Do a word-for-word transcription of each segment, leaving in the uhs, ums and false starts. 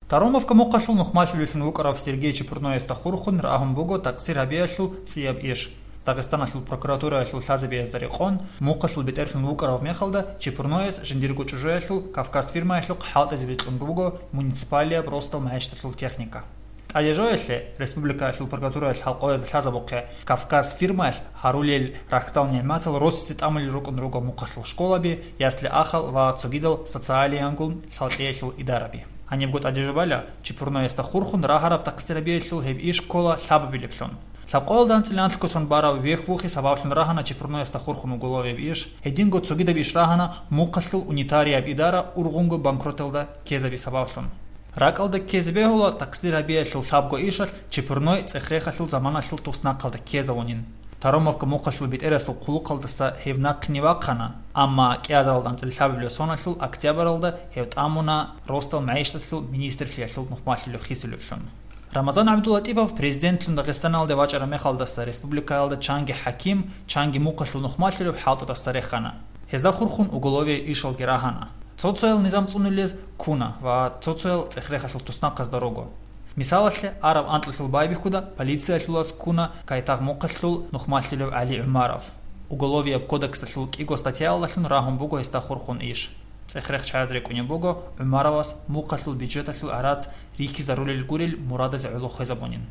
Таромовка мухъалъул нухмалъулевлъун вукӀарав Сергей Чепурноясда хурхун рагьун буго такъсир гьабиялъул цӀияб иш. Дагъистаналъул прокуратураялъул лъазабиязда рекъон, мухъалъул бетӀерлъун вукӀарав мехалда Чепурнояс жиндирго чӀужуялъул Кавказ фирмаялъухъ хӀалтӀизабизе кьун буго муниципалияб росдал магӀишталъул техника. ТӀадежоялъе, республикаялъул прокуратураялъ хӀалкъоязда лъазабухъе, Кавказ фирмаялъ гьарулел рахьдал-нигӀматал росизе тӀамулел рукӀун руго мухъалъул школаби, ясли-ахал ва цогидал социалиянгун лъалкӀиялъул идараби. Гьанибго тӀадежубала, Чепурноясда хурхун рагьараб такъсир гьабиялъул гьеб иш ккола лъабабилеблъун. Лъабкъоялда анцӀила анлъго сон барав вехь-вухь сабаблъун рагьана Чепурноясда хурхун уголовияб иш, гьединго цогидаб иш рагьана мухъалъул унитарияб идара ургъунго банкроталда ккезаби сабаблъун. РакӀалда ккезе бегьула такъсир гьабиялъул лъабго ишалъ Чепурной цӀех-рехалъул заманалъул туснахъалда ккезавунин. Таромовка мухъалъул бетӀерасул хъулухъалдаса гьев нахъе вахъана, амма кӀиазаралда анцӀила лъабабилеб соналъул октябралда гьев тӀамуна росдал магӀишталъул министрлъиялъул нухмалъулев хисулевлъун. Рамазан ГӀабдуллатӀипов президентлъун Дагъистаналде вачӀараб мехалдаса республикаялда чанги хӀаким, чанги мухъалъул нухмалъулев хӀалтӀудаса рехана. Гьезда хурхун уголовияб ишалги рагьана. Цо-цоял низам цӀунулез ккуна ва цо-цоял цӀех-рехалъул туснахъазда руго. Мисалалъе, араб анкьалъул байбихьуда полициялъулас ккуна Кайтагъ мухъалъул нухмалъулев ГӀали ГӀумаров. Уголовияб кодексалъул кӀиго статьяялдалъун рагьун буго гьесда хурхун иш. ЦӀех-рех чӀвазе рекӀунеб буго ГӀумаровас мухъалъул бюджеталъул гӀарац рихьизарулел гурел мурадазе гӀоло хвезабунин.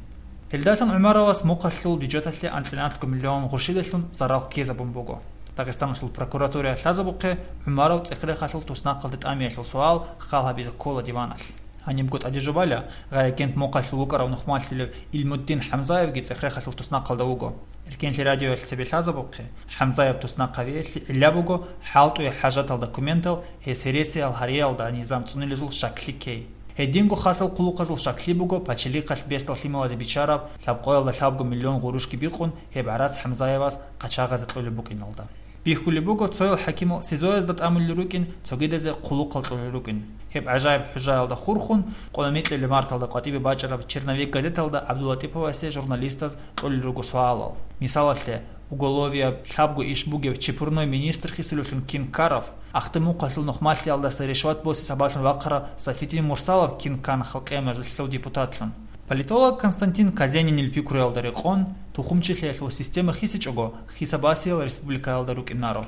Гьелдалъун ГӀумаровас мухъалъул бюджеталъе анцӀила анлъго миллион гъурщидалъун зарал ккезабун буго. Дагъистаналъул прокуратураялъ лъазабухъе ГӀумаров цӀех-рехалъул туснахъалде тӀамиялъул суал хал гьабизе ккола диваналъ. Гьанибго тӀадежубала, гьай агент мухъалъул вукӀарав нухмалъулев Илмуддин ХӀамзаевги цӀех-рехалъул туснахъалда вуго. Эркенлъи радиоялъ цебе лъазабухъе, ХӀамзаев туснахъ гьавиялъе гӀилла буго хӀалтӀуе хӀажатал документал гьес гьересиял гьариялда низам цӀунилезул щаклъи ккей. Гьединго хасал хъулухъазул щаклъи буго пачалихъалъ бесдал лъималазе биччараб лъабкъоялда лъабго миллион гъурущги бикъун гьеб гӀарац ХӀамзаевас къачагъазе кьолеб букӀиналда. Бихьулеб буго, цоял хӀакимал СИЗО-язда тӀамулел рукӀин, цогидазе хъулухъал кьолел рукӀин. Гьеб гӀажаиб хӀужаялда хурхун, къо-, микьилеб марталда къватӀибе бачӀараб «Черновик» газеталда ГӀабдуллатӀиповасе журналистаз кьолел руго суалал. Мисалалъе, уголовияб лъабго иш бугев Чепурной министр хисулевлъун кин ккарав, Ахтамухъалъул нухмалъиялдаса решват босе сабаблъун вахъарав Сафитин Мурсалов кин ккана Халкъиял мажлислъул депутатлъун. Политолог Константин Казенинил пикруялда рекъон, тухумчилъиялъул система хисичӀого, хисабасиял республикаялда рукӀинаро.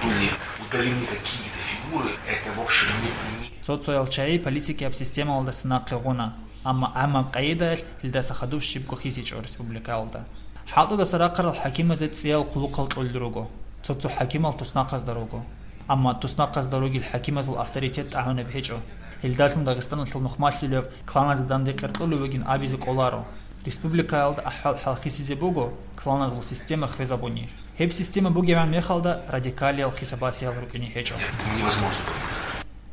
Были удалены какие-то фигуры, это, в общем, не, не Цо-цоял чагӀи политикияб системалдаса нахъе гъуна, амма гӀаммаб къагӀидаялъ гьелдаса хадуб щибго хисичӀо республикаялда. ХӀалтӀудаса рахъарал хӀакимазе цӀиял хъулухъал кьолел руго. Цо-цо хӀакимал туснахъазда руго. Амма туснахъазда ругел хӀакимазул авторитет тӀагӀунеб гьечӀо. Гьелдалъун Дагъистаналъул нухмалъулев кланазе данде къеркьулев вугин абизе кӀоларо. Республикаялда ахӀвал-хӀал хисизе буго, кланазул система хвезабуни. Гьеб система бугебгӀан мехалда радикалиял хисабасиял рукӀине гьечӀо. Невозможно было.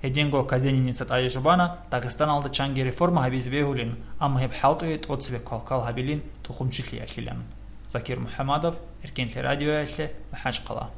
Гьединго Казениница тӀаде жубана Дагъистаналда чанги реформа гьабизе бегьулин, амма гьеб хӀалтӀуе тӀоцебе квалквал гьабилин тухумчилъиялъилан. Закир МухӀамадов, Эркенлъи радиоялъе, МахӀачхъала.